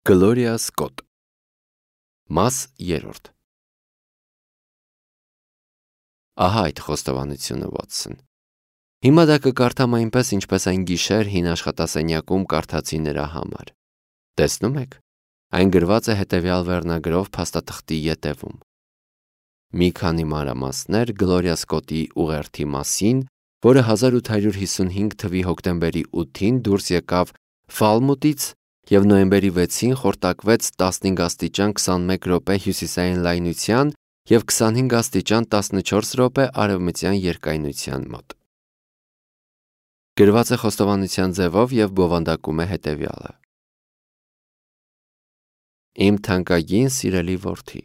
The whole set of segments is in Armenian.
Գլորիա Սկոտ Մաս 3 Ահա այդ խոստովանությունը, Վոթսոն։ Հիմա դա կկարդամ այնպես, ինչպես այն գիշեր հին աշխատասենյակում կարդացի նրա համար։ Տեսնում եք, այն գրված է հետևյալ վերնագրով փաստաթղթի ետևում. մի քանի մանրամասներ Գլորիա Սկոտի ուղերձի մասին, որը 1855 թվականի հոկտեմբերի 8-ին դուրս եկավ Ֆալմուտից և նոյեմբերի 6-ին խորտակվեց 15 աստիճան 21 րոպե հյուսիսային լայնության և 25 աստիճան 14 րոպե արևմտյան երկայնության մոտ։ Գրված է խոստովանության ձևով և բովանդակում է հետևյալը. Իմ թանկագին սիրելի որդի,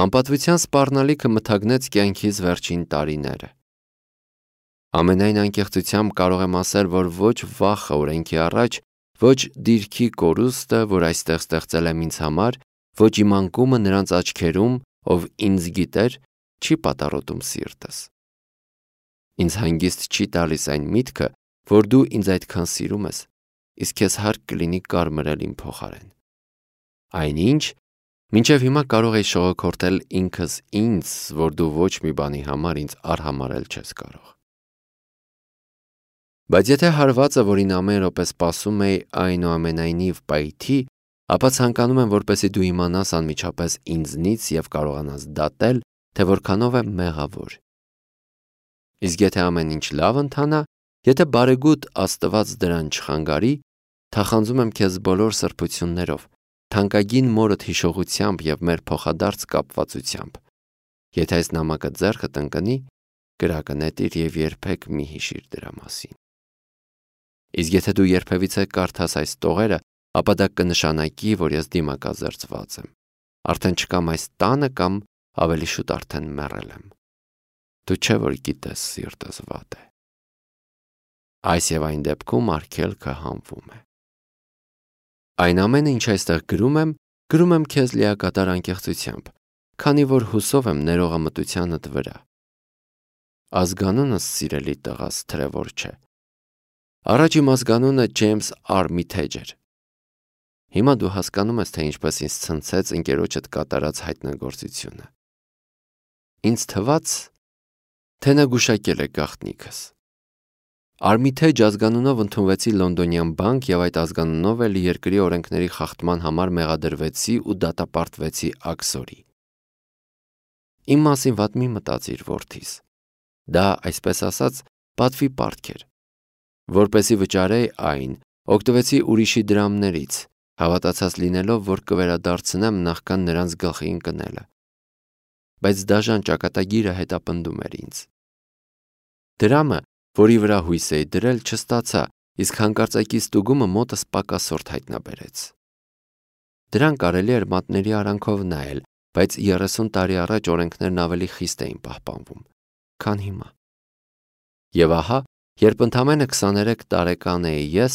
անպատվության սպառնալիքը մթագնեց կյանքիս վերջին տարիները։ Ամենայն անկեղծությամբ կարող եմ ասել, որ ոչ վախը օրենքի առաջ, ոչ դիրքի կորուստը, որ այստեղ ստեղծել եմ ինձ համար, ոչ իմ անկումը նրանց աչքերում, ով ինձ գիտեր, չի պատառոտում սիրտս։ Ինձ հանգիստ չի տալիս այն միտքը, որ դու ինձ այդքան սիրում ես, իսկ քեզ հարկ կլինի կարմրել իմ փոխարեն։ Այնինչ, մինչև հիմա կարող էի շողոքորթել ինքս ինձ, որ դու ոչ մի բանի համար ինձ արհամարհել չես կարող։ Բայց եթե հարվածը, որին ամեն րոպե սպասում էի, այնուամենայնիվ պայթի, ապա ցանկանում եմ, որպեսզի դու իմանաս անմիջապես ինձնից և կարողանաս դատել, թե որքանով եմ մեղավոր։ Իսկ եթե ամեն ինչ լավ ընթանա, եթե բարեգութ Աստված դրան չխանգարի, թախանձում եմ քեզ բոլոր սրբություններով, թանկագին մորդ հիշողությամբ և մեր փոխադարձ կապվածությամբ։ Եթե այս նամակը ձեռքդ ընկնի, կրակը նետիր և երբեք մի հիշիր դրա մասին։ Իսկ եթե դու երբևիցե կարդաս այս տողերը, ապա դա կնշանակի, որ ես դիմակազերծված եմ։ Արդեն չկամ այս տանը կամ ավելի շուտ արդեն մեռել եմ։ Դու չէ որ գիտես սիրտս վատ է։ Այս և այն դեպքում արգելքը հանվում է։ Այն ամենը, ինչ այստեղ գրում եմ քեզ լիակատար անկեղծությամբ, քանի որ հուսով եմ ներողամտությանդ վրա։ Ազգանունս, սիրելի տղաս, Թրևոր չէ։ Առաջ իմ ազգանունը Ջեյմս Արմիթեջ էր։ Հիմա դու հասկանում ես, թե ինչպես ինձ ցնցեց ընկերոջդ կատարած հայտնագործությունը։ Ինձ թվաց, թե նա գուշակել է գաղտնիքս։ Արմիթեջ ազգանունով ընդունվեցի Լոնդոնյան բանկ և այդ ազգանունով էլ երկրի օրենքների խախտման համար մեղադրվեցի ու դատապարտվեցի աքսորի։ Իմ մասին վատ մի մտածիր, որդիս։ Դա, այսպես ասած, պատվի պարտք էր։ Որպեսզի վճարեի այն, օգտվեցի ուրիշի դրամներից, հավատացած լինելով, որ կվերադարձնեմ նախքան նրանց գլխի ընկնելը։ Բայց դաժան ճակատագիրը հետապնդում էր ինձ։ Դրամը, որի վրա հույս էի դրել, չստացա, իսկ հանկարծակի ստուգումը մոտս պակասորդ հայտնաբերեց։ Դրան կարելի էր մատների արանքով նայել, բայց 30 տարի առաջ օրենքներն ավելի խիստ էին պահպանվում, քան հիմա։ Եվ ահա, երբ ընդամենը 23 տարեկան էի ես,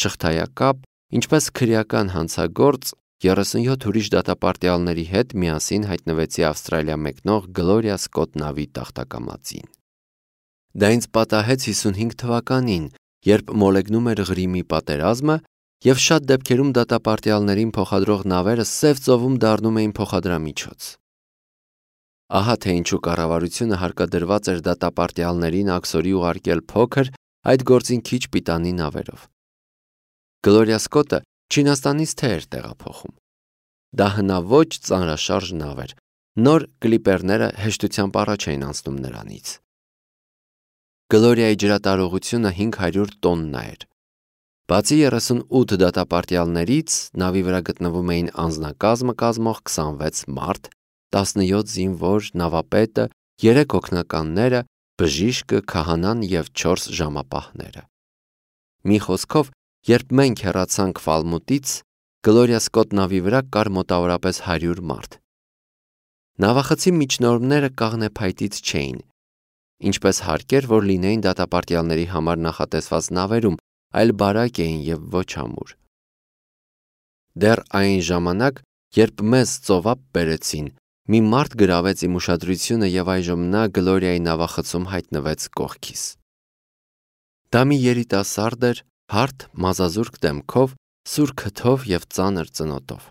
շղթայակապ, ինչպես քրեական հանցագործ, 37 ուրիշ դատապարտյալների հետ միասին հայտնվեցի Ավստրալիա մեկնող Գլորիա Սկոտ նավի տախտակամածին։ Դա ինձ պատահեց 55 թվականին, երբ մոլեգնում էր Ղրիմի պատերազմը, և շատ դեպքերում դատապարտյալներին փոխադրող նավերը Սև ծովում դառնում էին փոխադրամիջոց։ Ահա թե ինչու կառավարությունը հարկադրված էր դատապարտյալներին աքսորի ուղարկել փոքր, այդ գործին քիչ պիտանի նավերով։ Գլորիա Սկոտը Չինաստանից թե էր տեղափոխում։ Դա հնաոճ ծանրաշարժ նավ էր, նոր կլիպերները հեշտությամբ առաջ էին անցնում նրանից։ Գլորիայի ջրատարողությունը 500 տոննա էր։ Բացի 38 դատապարտյալներից, նավի վրա գտնվում էին անձնակազմը կազմող 26 մարդ, 17 զինվոր, նավապետը, 3 օգնականները, բժիշկը, քահանան և 4 ժամապահները։ Մի խոսքով, երբ մենք հեռացանք Ֆալմուտից, Գլորիա Սկոտ նավի վրա կար մոտավորապես 100 մարդ։ Նավախցի միջնորդները կաղնեփայտից չէին, ինչպես հարկ էր, որ լինեին դատապարտյալների համար նախատեսված նավերում, այլ բարակ էին և ոչ ամուր։ Դեռ այն ժամանակ, երբ մեզ ծովափ բերեցին, մի մարդ գրավեց իմ ուշադրությունը և այժմ նա Գլորիայի նավախցում հայտնվեց կողքիս։ Դա մի երիտասարդ էր, հարթ, մազազուրկ դեմքով, սուր քթով և ծանր ծնոտով։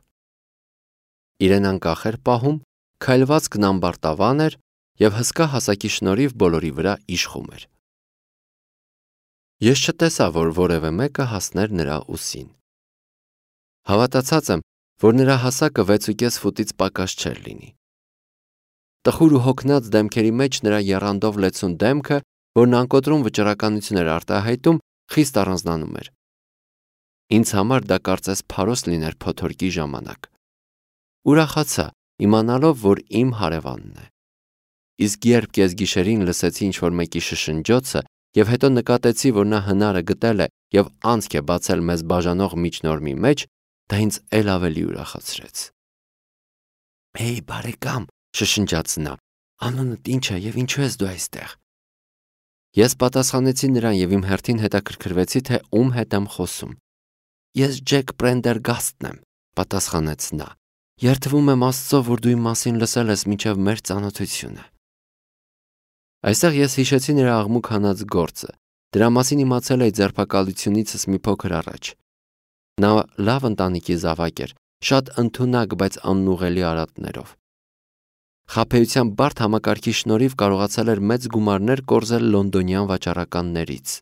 Իրեն անկախ էր պահում, քայլվածքն ամբարտավան էր և հսկա հասակի շնորհիվ բոլորի վրա իշխում էր։ Ես չտեսա, որ որևէ մեկը հասներ նրա ուսին։ Հավատացած եմ, որ նրա հասակը 6.5 ֆուտից պակաս չէր լինի։ Տխուր ու հոգնած դեմքերի մեջ նրա եռանդով լեցուն դեմքը, որն անկոտրում վճռականություն էր արտահայտում, խիստ առանձնանում էր։ Ինձ համար դա կարծես փարոս լիներ փոթորկի ժամանակ։ Ուրախացա, իմանալով, որ իմ հարևանն է։ Իսկ երբ կեսգիշերին լսեցի ինչ-որ մեկի շշնջոցը և հետո նկատեցի, որ նա հնարը գտել է և անցք է բացել մեզ բաժանող միջնորմի մեջ, դա ինձ էլ ավելի ուրախացրեց։ «Հեյ, բարեկամ», շշնջաց նա, «անունդ ինչ է և ինչու ես դու այստեղ»։ Ես պատասխանեցի նրան և իմ հերթին հետաքրքրվեցի, թե ում հետ եմ խոսում։ «Ես Ջեք Պրենդերգաստն եմ», պատասխանեց նա։ «Երդվում եմ Աստծո, որ դու իմ մասին լսել ես մինչև մեր ծանոթությունը»։ Այստեղ ես հիշեցի նրա աղմուկ հանած գործը։ Դրա մասին իմացել էի ձերբակալությունիցս մի փոքր առաջ։ Նա լավ ընտանիքի զավակ էր, շատ ընդունակ, բայց անուղղելի արատներով։ Խաբեության բարդ համակարգի շնորհիվ կարողացել էր մեծ գումարներ կորզել լոնդոնյան վաճառականներից։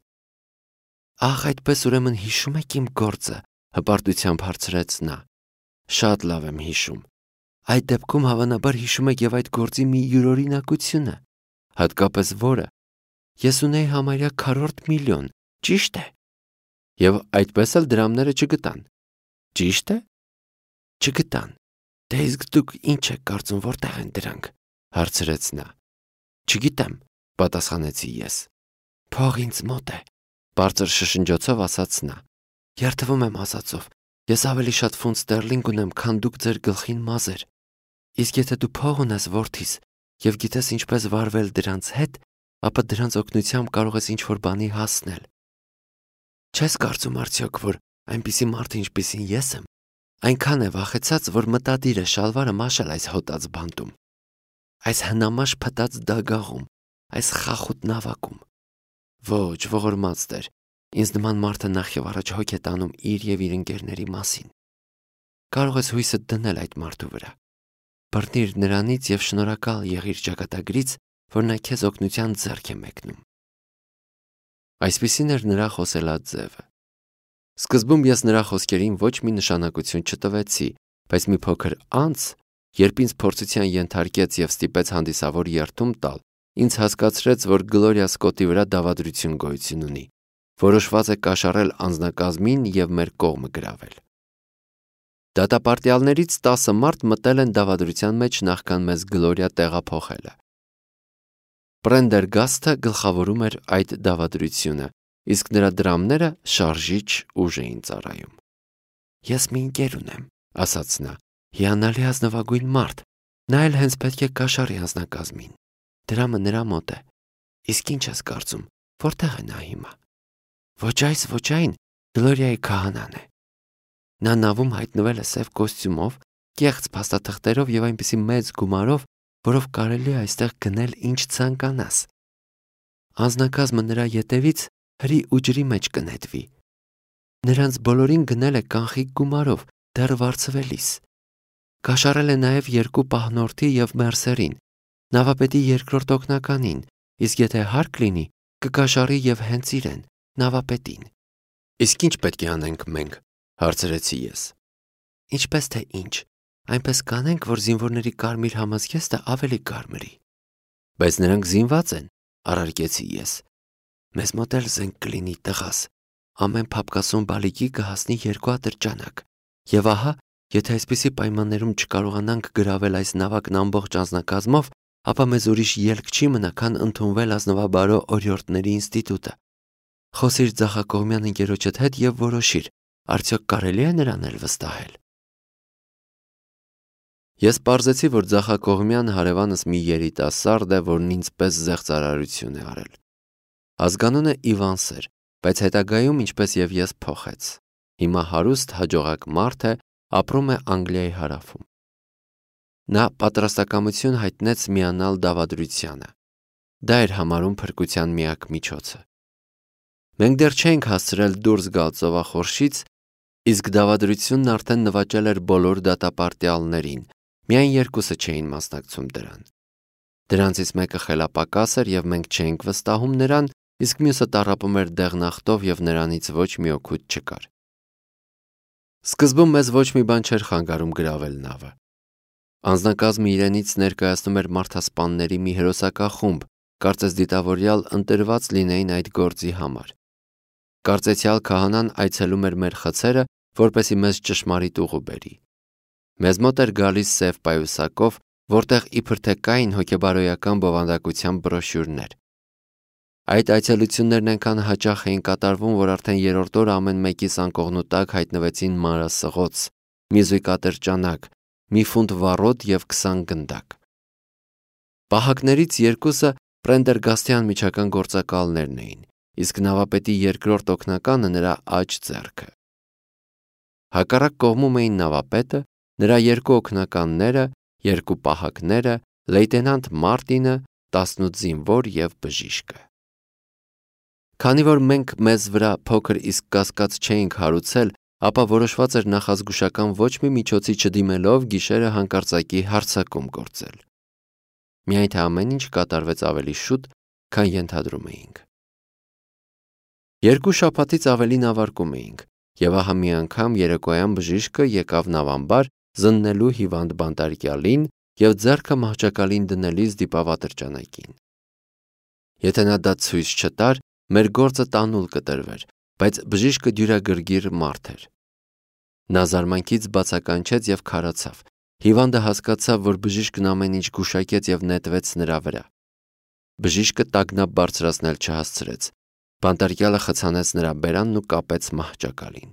«Ահ, այդպես ուրեմն հիշում եք իմ գործը», հպարտությամբ հարցրեց նա։ «Շատ լավ եմ հիշում։ Այդ դեպքում հավանաբար հիշում եք և այդ գործի մի յուրօրինակությունը, հատկապես որը։ Ես ունեի համարյա քառորդ միլիոն, ճի՞շտ է։ Եվ այդպես էլ դրամները չգտան։ Ճի՞շտ է։ Չգտան։ Դե իսկ դուք ինչ եք կարծում, որտեղ են դրանք», հարցրեց նա։ «Չգիտեմ», պատասխանեցի ես։ «Փող ինձ մոտ է», բարձր շշնջոցով ասաց նա։ «Երդվում եմ Աստծով, ես ավելի շատ ֆունտ ստերլինգ ունեմ, քան դուք ձեր գլխին մազեր։ Իսկ եթե դու փող ունես որդիս և գիտես ինչպես վարվել դրանց հետ, ապա դրանց օգնությամբ կարող ես ինչ-որ բանի հասնել։ Չես կարծում արդյոք, որ այնպիսի մարդ, ինչպիսին ես եմ, այնքան է վախեցած, որ մտադիր է շալվարը մաշել այս հոտած բանտում, այս հնամաշ փտած դագաղում, այս խախուտ նավակում։ Ոչ, ողորմած Տեր, ինձ նման մարդը նախ և առաջ հոգ է տանում իր և իր ընկերների մասին։ Կարող ես հույսդ դնել այդ մարդու վրա։ Բռնիր նրանից և շնորհակալ եղիր ճակատագրից, որ նա քեզ օգնության ձեռք է մեկնում»։ Այսպիսին էր նրա խոսելած ձևը։ Սկզբում ես նրա խոսքերին ոչ մի նշանակություն չտվեցի, բայց մի փոքր անց, երբ ինձ փորձության ենթարկեց և ստիպեց հանդիսավոր երդում տալ, ինձ հասկացրեց, որ Գլորիա Սկոթի վրա դավադրություն գոյություն ունի, որոշված է կաշառել անձնակազմին և մեր կողմը գրավել։ Դատապարտյալներից 10 մարդ մտել են դավադրության մեջ նախքան մեզ Գլորիա տեղափոխելը։ Պրենդերգաստը գլխավորում էր այդ դավադրությունը, իսկ նրա դրամները շարժիչ ուժ էին ծառայում։ «Ես մի ընկեր ունեմ», ասաց նա, «հիանալի ազնվագույն մարդ, նա էլ հենց պետք է կաշառի անձնակազմին։ Դրամը նրա մոտ է։ Իսկ ինչ ես կարծում, որտեղ է նա հիմա։ Ոչ այս, ոչ այն, Գլորիայի քահանան է։ Նա նավում հայտնվել է սև կոստյումով, կեղծ փաստաթղթերով և այնպիսի մեծ գումարով, որով կարելի է այստեղ գնել ինչ ցանկանաս։ Անձնակազմը նրա ետևից հրի ու ջրի մեջ կնետվի։ Նրանց բոլորին գնել է կանխիկ գումարով, դեռ վարձվելիս։ Կաշառել է նաև 2 պահնորդի և մերսերին, նավապետի երկրորդ օգնականին, իսկ եթե հարկ լինի, կկաշառի և հենց իրեն, նավապետին։ «Իսկ ինչ պետք է անենք մենք», հարցրեցի ես։ «Ինչպես թե ինչ, այնպես կանենք, որ զինվորների կարմիր համազգեստը ավելի կարմրի»։ «Բայց նրանք զինված են», առարկեցի ես։ «Մեզ մոտ էլ զենք կլինի, տղաս։ Ամեն փափկասուն բալիկի կհասնի 2 ատրճանակ։ Եվ ահա, եթե այսպիսի պայմաններում չկարողանանք գրավել այս նավակն ամբողջ անձնակազմով, ապա մեզ ուրիշ ելք չի մնա, քան ընդունվել ազնվաբարո օրիորդների ինստիտուտը։ Խոսիր ձախակողմյան ընկերոջդ հետ և որոշիր, արդյոք կարելի է նրան էլ վստահել»։ Ես պարզեցի, որ ձախակողմյան հարևանս մի երիտասարդ է, որն ինձ պես զեղծարարություն է արել։ Ազգանունը Իվանս էր, բայց հետագայում, ինչպես և ես, փոխեց։ Հիմա հարուստ, հաջողակ մարդ է, ապրում է Անգլիայի հարավում։ Նա պատրաստակամություն հայտնեց միանալ դավադրությանը։ Դա էր համարում փրկության միակ միջոցը։ Մենք դեռ չէինք հասցրել դուրս գալ ծովախորշից, Իսկ դավադրությունն արդեն նվաճել էր բոլոր դատապարտյալներին, միայն երկուսը չէին մասնակցում դրան։ Դրանցից մեկը խելապակաս էր և մենք չէինք վստահում նրան, իսկ մյուսը տառապում էր դեղնախտով և նրանից ոչ մի օգուտ չկար։ Սկզբում մեզ ոչ մի բան չէր խանգարում գրավել նավը։ Անձնակազմը իրենից ներկայացնում էր մարդասպանների մի հերոսակախումբ, կարծես դիտավորյալ ընտրված լինեին այդ գործի համար։ Կարծեցյալ քահանան այցելում էր մեր խցերը, որպեսզի մեզ ճշմարիտ ուղու բերի։ Մեզ մոտ էր գալիս սև պայուսակով, որտեղ իբր թե կային հոգեբարոյական բովանդակության բրոշյուրներ։ Այդ այցելություններն այնքան հաճախ էին կատարվում, որ արդեն երրորդ օրը ամեն մեկիս անկողնու տակ հայտնվեցին մանրասղոց, մի զույգ ատրճանակ, մի ֆունտ վառոդ և 20 գնդակ։ Պահակներից երկուսը Պրենդերգաստյան միջական գործակալներն էին, իսկ նավապետի երկրորդ օգնականը նրա աջ ձեռքը։ Հակառակ կողմում էին նավապետը, նրա երկու օգնականները, երկու պահակները, լեյտենանտ Մարտինը, 18 զինվոր և բժիշկը։ Քանի որ մենք մեզ վրա փոքր իսկ կասկած չէինք հարուցել, ապա որոշված էր նախազգուշական ոչ մի միջոցի չդիմելով գիշերը հանկարծակի հարձակում գործել։ Միայն թե ամեն ինչ կատարվեց ավելի շուտ, քան ենթադրում էինք։ 2 շաբաթից ավելի նավարկում էինք, և ահա մի անգամ երեկոյան բժիշկը եկավ նավամբար զննելու հիվանդ բանտարկյալին և ձեռքը մահճակալին դնելիս դիպավ ատրճանակին։ Եթե նա դա ցույց չտար, մեր գործը տանուլ կտրվեր, բայց բժիշկը դյուրագրգիռ մարդ էր։ Նա զարմանքից բացականչեց և քարացավ։ Հիվանդը հասկացավ, որ բժիշկն ամեն ինչ գուշակեց և նետվեց նրա վրա։ Բժիշկը տագնապ բարձրացնել չհասցրեց։ Բանտարկյալը խցանեց նրա բերանն ու կապեց մահճակալին։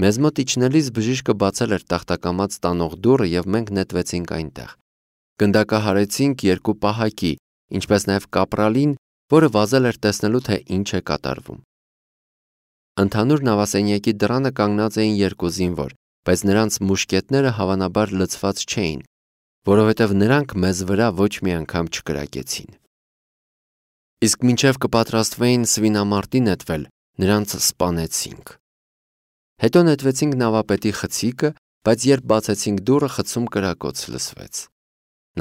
Մեզ մոտ իջնելիս բժիշկը բացել էր տախտակամած տանող դուռը և մենք նետվեցինք այնտեղ։ Գնդակահարեցինք 2 պահակի, ինչպես նաև կապրալին, որը վազել էր տեսնելու, թե ինչ է կատարվում։ Ընդհանուր նավասենյակի դռանը կանգնած էին 2 զինվոր, բայց նրանց մուշկետները հավանաբար լցված չէին, որովհետև նրանք մեզ վրա ոչ մի անգամ չկրակեցին։ Իսկ մինչև կպատրաստվեին սվինամարտի նետվել, նրանց սպանեցինք։ Հետո նետվեցինք նավապետի խցիկը, բայց երբ բացեցինք դուռը, խցում կրակոց լսվեց։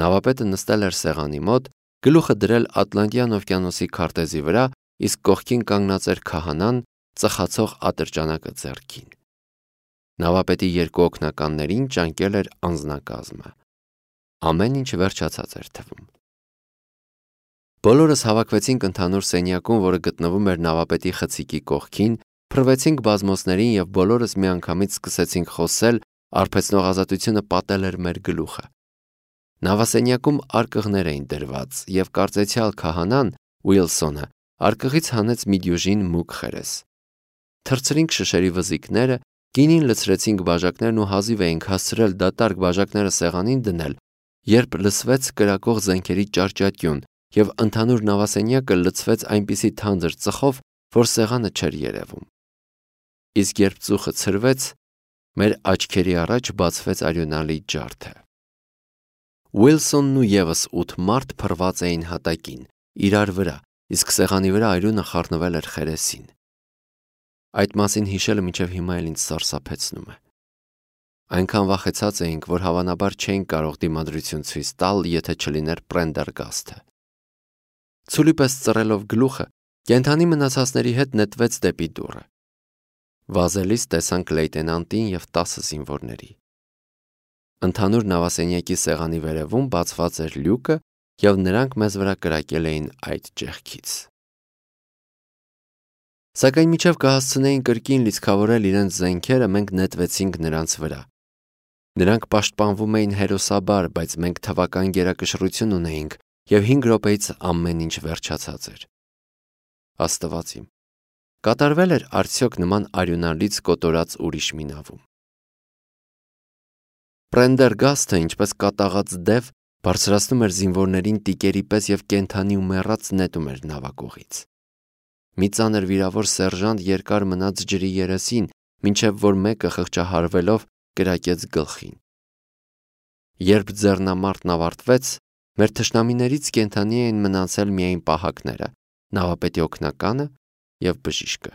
Նավապետը նստել էր սեղանի մոտ, գլուխը դրել Ատլանտյան օվկիանոսի քարտեզի վրա, իսկ կողքին կանգնած էր քահանան, ծխացող ատրճանակը ձեռքին։ Նավապետի 2 օգնականներին ճանկել էր անձնակազմը։ Ամեն ինչ վերջացած էր թվում։ Բոլորս հավաքվեցինք ընդհանուր սենյակում, որը գտնվում էր նավապետի խցիկի կողքին, փռվեցինք բազմոցներին և բոլորս միանգամից սկսեցինք խոսել, արբեցնող ազատությունը պատել էր մեր գլուխը։ Նավասենյակում արկղներ էին դրված, և կարծեցյալ քահանան Ուիլսոնը արկղից հանեց մի դյուժին մուգ խերես։ Թռցրինք շշերի վզիկները, գինին լցրեցինք բաժակներն ու հազիվ էինք հասցրել դատարկ բաժակները սեղանին դնել, երբ լսվեց կրակող զենքերի ճարճատյուն, և ընդհանուր նավասենյակը լցվեց այնպիսի թանձր ծխով, որ սեղանը չէր երևում։ Իսկ երբ ծուխը ցրվեց, մեր աչքերի առաջ բացվեց արյունալի ջարդը։ Ուիլսոնն ու ևս 8 մարդ փռված էին հատակին, իրար վրա, իսկ սեղանի վրա արյունը խառնվել էր խերեսին։ Այդ մասին հիշելը մինչև հիմա էլ ինձ սարսափեցնում է։ Այնքան վախեցած էինք, որ հավանաբար չէինք կարող դիմադրություն ցույց տալ, եթե չլիներ Պրենդերգաստը։ Ցուլի պես ծռելով գլուխը, կենդանի մնացածների հետ նետվեց դեպի դուռը։ Վազելիս տեսանք լեյտենանտին և 10 զինվորների։ Ընդհանուր նավասենյակի սեղանի վերևում բացված էր լյուկը, և նրանք մեզ վրա կրակել էին այդ ճեղքից։ Սակայն մինչև կհասցնեին կրկին լիցքավորել իրենց զենքերը, մենք նետվեցինք նրանց վրա։ Նրանք պաշտպանվում էին հերոսաբար, բայց մենք թվական գերակշռություն ունեինք, և 5 րոպեից ամեն ինչ վերջացած էր։ Աստված իմ, կատարվել էր արդյոք նման արյունալից կոտորած ուրիշ մի նավում։ Պրենդերգաստը, ինչպես կատաղած դև, բարձրացնում էր զինվորներին տիկերի պես և կենդանի ու մեռած նետում էր նավակողից։ Մի ծանր վիրավոր սերժանտ երկար մնաց ջրի երեսին, մինչև որ մեկը խղճահարվելով կրակեց գլխին։ Երբ ձեռնամարտն ավարտվեց, մեր թշնամիներից կենդանի էին մնացել միայն պահակները, նավապետի օգնականը և բժիշկը։